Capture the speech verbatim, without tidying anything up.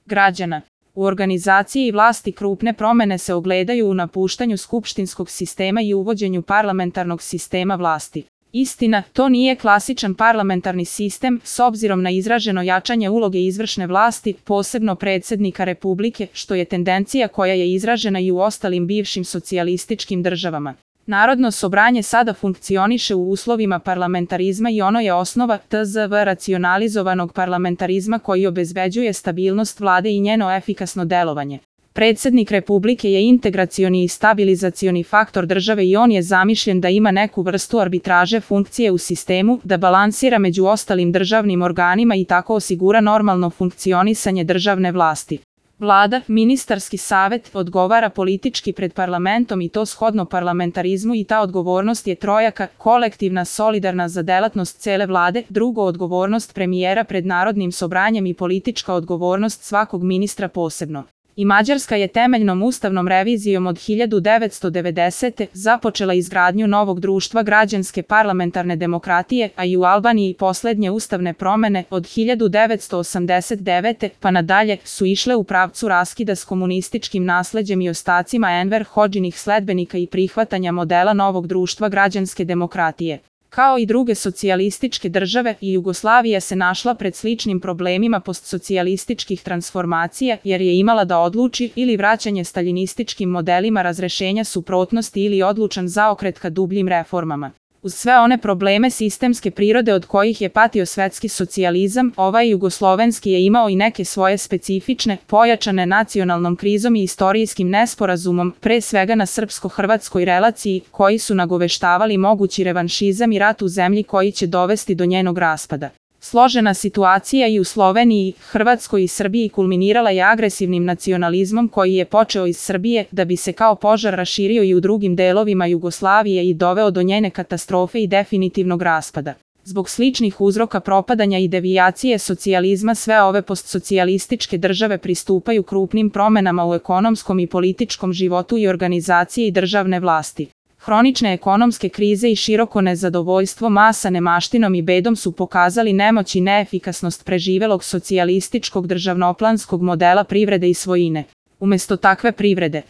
građana. U organizaciji vlasti krupne promene se ogledaju u napuštanju skupštinskog sistema i uvođenju parlamentarnog sistema vlasti. Istina, to nije klasičan parlamentarni sistem, s obzirom na izraženo jačanje uloge izvršne vlasti, posebno predsjednika Republike, što je tendencija koja je izražena i u ostalim bivšim socijalističkim državama. Narodno sobranje sada funkcioniše u uslovima parlamentarizma i ono je osnova tzv. racionalizovanog parlamentarizma koji obezbeđuje stabilnost vlade i njeno efikasno delovanje. Predsjednik Republike je integracioni i stabilizacioni faktor države i on je zamišljen da ima neku vrstu arbitraže funkcije u sistemu, da balansira među ostalim državnim organima i tako osigura normalno funkcionisanje državne vlasti. Vlada, ministarski savet, odgovara politički pred parlamentom i to shodno parlamentarizmu i ta odgovornost je trojaka, kolektivna, solidarna za delatnost cele vlade, drugo odgovornost premijera pred narodnim sobranjem i politička odgovornost svakog ministra posebno. I Mađarska je temeljnom ustavnom revizijom od hiljadu devetsto devedesete. započela izgradnju novog društva građanske parlamentarne demokratije, a i u Albaniji posljednje ustavne promene od hiljadu devetsto osamdeset devete. pa nadalje su išle u pravcu raskida s komunističkim nasleđem i ostacima Enver Hodžinih sledbenika i prihvatanja modela novog društva građanske demokratije. Kao i druge socijalističke države, i Jugoslavija se našla pred sličnim problemima postsocijalističkih transformacija jer je imala da odluči ili vraćanje staljinističkim modelima razrešenja suprotnosti ili odlučan zaokret ka dubljim reformama. Uz sve one probleme sistemske prirode od kojih je patio svetski socijalizam, ovaj jugoslovenski je imao i neke svoje specifične, pojačane nacionalnom krizom i istorijskim nesporazumom, pre svega na srpsko-hrvatskoj relaciji, koji su nagoveštavali mogući revanšizam i rat u zemlji koji će dovesti do njenog raspada. Složena situacija i u Sloveniji, Hrvatskoj i Srbiji kulminirala je agresivnim nacionalizmom koji je počeo iz Srbije da bi se kao požar raširio i u drugim delovima Jugoslavije i doveo do njene katastrofe i definitivnog raspada. Zbog sličnih uzroka propadanja i devijacije socijalizma sve ove postsocijalističke države pristupaju krupnim promenama u ekonomskom i političkom životu i organizaciji državne vlasti. Hronične ekonomske krize i široko nezadovoljstvo masa nemaštinom i bedom su pokazali nemoć i neefikasnost preživelog socijalističkog državnoplanskog modela privrede i svojine. Umjesto takve privrede,